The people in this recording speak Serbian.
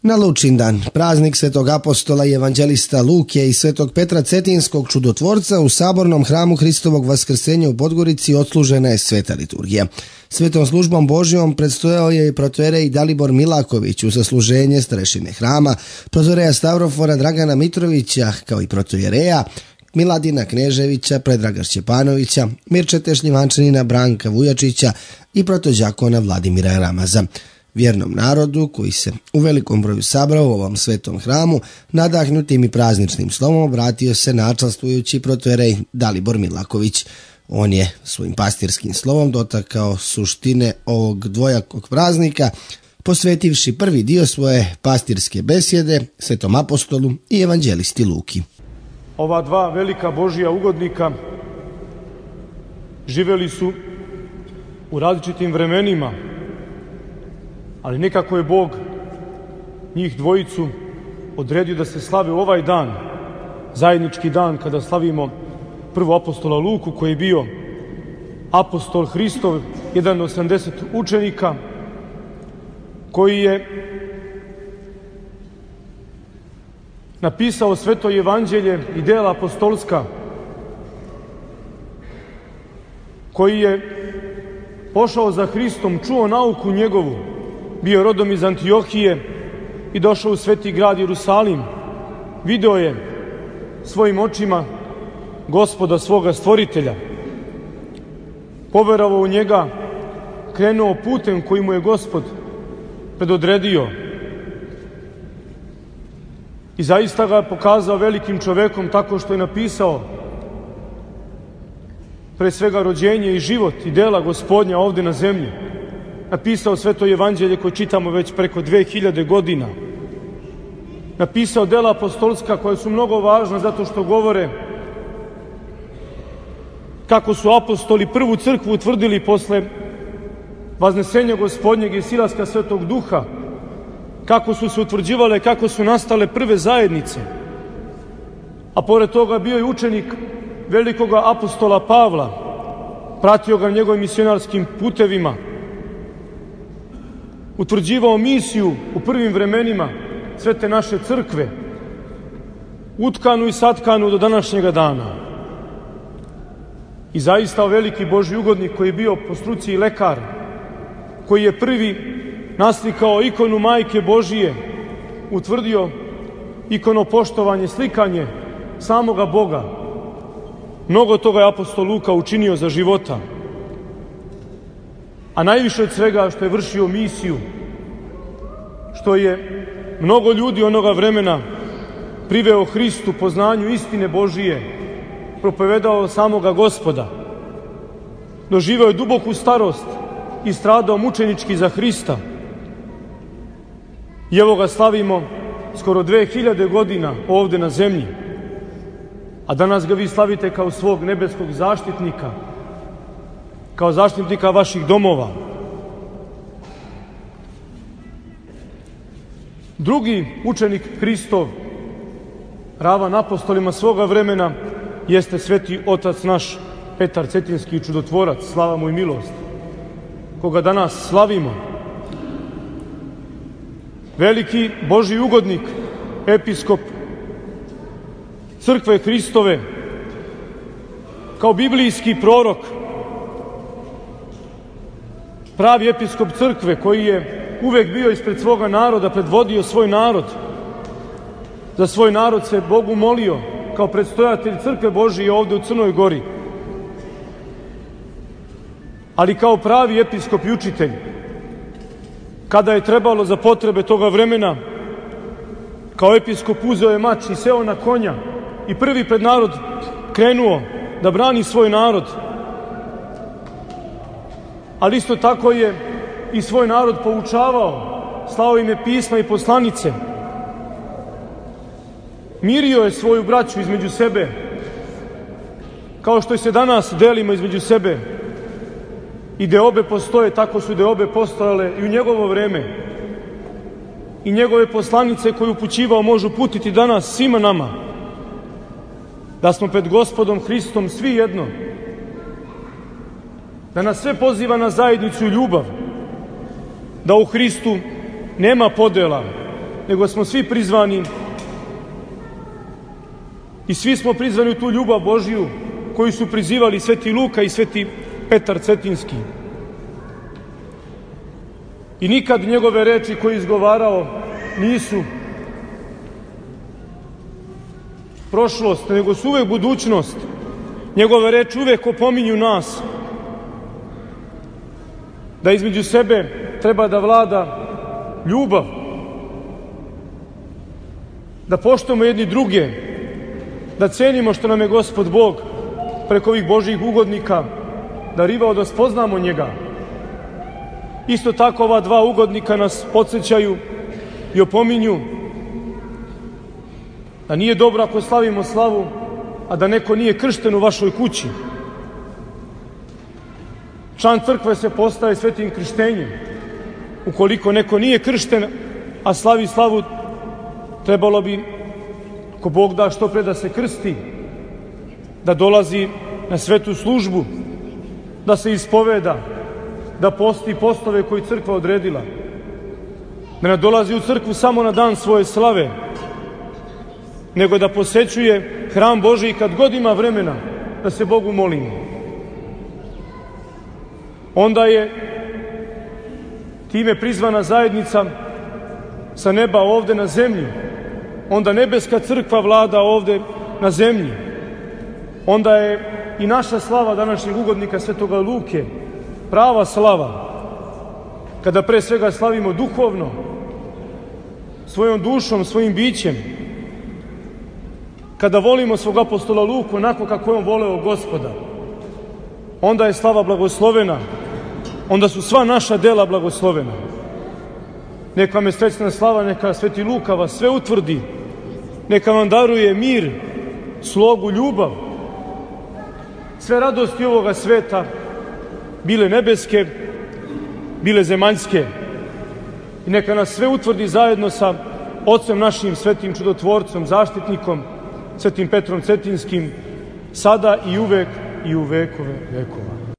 Na Lučindan, praznik svetog apostola i evanđelista Luke i svetog Petra Cetinskog čudotvorca, u sabornom hramu Hristovog vaskrsenja u Podgorici odslužena je sveta liturgija. Svetom službom Božjom predstojao je i protojerej Dalibor Milaković uz sasluženje starešine hrama, protojereja Stavrofora Dragana Mitrovića, kao i protojereja Miladina Kneževića, Predraga Šćepanovića, Mirčete Šljivančanina Branka Vujačića i protođakona Vladimira Ramaza. Vjernom narodu, koji se u velikom broju sabrao u ovom svetom hramu, nadahnutim i prazničnim slovom obratio se načelstvujući protojerej Dalibor Milaković. On je svojim pastirskim slovom dotakao suštine ovog dvojakog praznika, posvetivši prvi dio svoje pastirske besjede svetom apostolu i evanđelisti Luki. Ova dva velika Božja ugodnika živeli su u različitim vremenima, ali nekako je Bog njih dvojicu odredio da se slave u ovaj dan, zajednički dan kada slavimo prvo apostola Luku, koji je bio apostol Hristov, jedan od 80 učenika, koji je napisao sveto evanđelje i dela apostolska, koji je pošao za Hristom, čuo nauku njegovu, bio rodom iz Antiohije i došao u sveti grad Jerusalim. Video je svojim očima Gospoda svoga stvoritelja. Poverovao u njega, krenuo putem koji mu je Gospod predodredio. I zaista ga je pokazao velikim čovekom tako što je napisao pre svega rođenje i život i dela Gospodnja ovde na zemlji. Napisao sveto evanđelje koje čitamo već preko 2000 godina. Napisao dela apostolska koja su mnogo važna zato što govore kako su apostoli prvu crkvu utvrdili posle vaznesenja Gospodnjeg i silaska Svetog Duha, kako su se utvrđivale, kako su nastale prve zajednice. A pored toga bio je učenik velikog apostola Pavla, pratio ga njegovim misionarskim putevima, utvrđivao misiju u prvim vremenima svete naše crkve, utkanu i satkanu do današnjega dana. I zaista veliki Božji ugodnik koji je bio po struci i lekar, koji je prvi naslikao ikonu Majke Božije, utvrdio ikonopoštovanje, slikanje samoga Boga. Mnogo toga je apostol Luka učinio za života. A najviše od svega što je vršio misiju, što je mnogo ljudi onoga vremena priveo Hristu, poznanju istine Božije, propovedao samoga Gospoda. Doživeo je duboku starost i stradao mučenički za Hrista. I evo ga slavimo skoro 2000 godina ovde na zemlji. A danas ga vi slavite kao svog nebeskog zaštitnika, kao zaštitnika vaših domova. Drugi učenik Hristov, ravan apostolima svoga vremena, jeste sveti otac naš Petar Cetinski čudotvorac, slava mu i milost, koga danas slavimo. Veliki Božji ugodnik, episkop crkve Hristove, kao biblijski prorok, pravi episkop crkve koji je uvek bio ispred svoga naroda, predvodio svoj narod. Za svoj narod se Bogu molio kao predstojatelj crkve Božije ovde u Crnoj Gori. Ali kao pravi episkop i učitelj, kada je trebalo za potrebe toga vremena, kao episkop uzeo je mač i seo na konja i prvi pred narod krenuo da brani svoj narod. Ali isto tako je i svoj narod poučavao, slao im je pisma i poslanice. Mirio je svoju braću između sebe, kao što se danas delimo između sebe. I deobe postoje, tako su deobe postojale i u njegovo vreme. I njegove poslanice koje upućivao može uputiti danas svima nama. Da smo pred Gospodom Hristom svi jedno. Da nas sve poziva na zajednicu i ljubav. Da u Hristu nema podela, nego smo svi prizvani i svi smo prizvani u tu ljubav Božju koju su prizivali Sveti Luka i Sveti Petar Cetinski. I nikad njegove reči koje je izgovarao nisu prošlost, nego su uvek budućnost. Njegove reči uvek opominju nas da između sebe treba da vlada ljubav, da poštujemo jedni druge, da cenimo što nam je Gospod Bog preko ovih Božjih ugodnika darivao da spoznamo njega. Isto tako ova dva ugodnika nas podsjećaju i opominju da nije dobro ako slavimo slavu, a da neko nije kršten u vašoj kući. Član crkve se postaje svetim krštenjem. Ukoliko neko nije kršten, a slavi slavu, trebalo bi, ako Bog da, što pre da se krsti, da dolazi na svetu službu, da se ispoveda, da posti postove koje crkva odredila, da ne dolazi u crkvu samo na dan svoje slave, nego da posećuje hram Božji kad god ima vremena da se Bogu molimo. Onda je time prizvana zajednica sa neba ovde na zemlji. Onda nebeska crkva vlada ovde na zemlji. Onda je i naša slava današnjeg ugodnika Svetoga Luke prava slava, kada pre svega slavimo duhovno, svojom dušom, svojim bićem, kada volimo svog apostola Luku onako kako je on voleo Gospoda, onda je slava blagoslovena, onda su sva naša dela blagoslovena. Neka vam je srećna slava, neka Sveti Luka vas sve utvrdi, neka vam daruje mir, slogu, ljubav, sve radosti ovoga sveta, bile nebeske, bile zemaljske, i neka nas sve utvrdi zajedno sa Ocem našim, svetim čudotvorcem, zaštitnikom, Svetim Petrom Cetinskim, sada i uvek i u vekove vekova.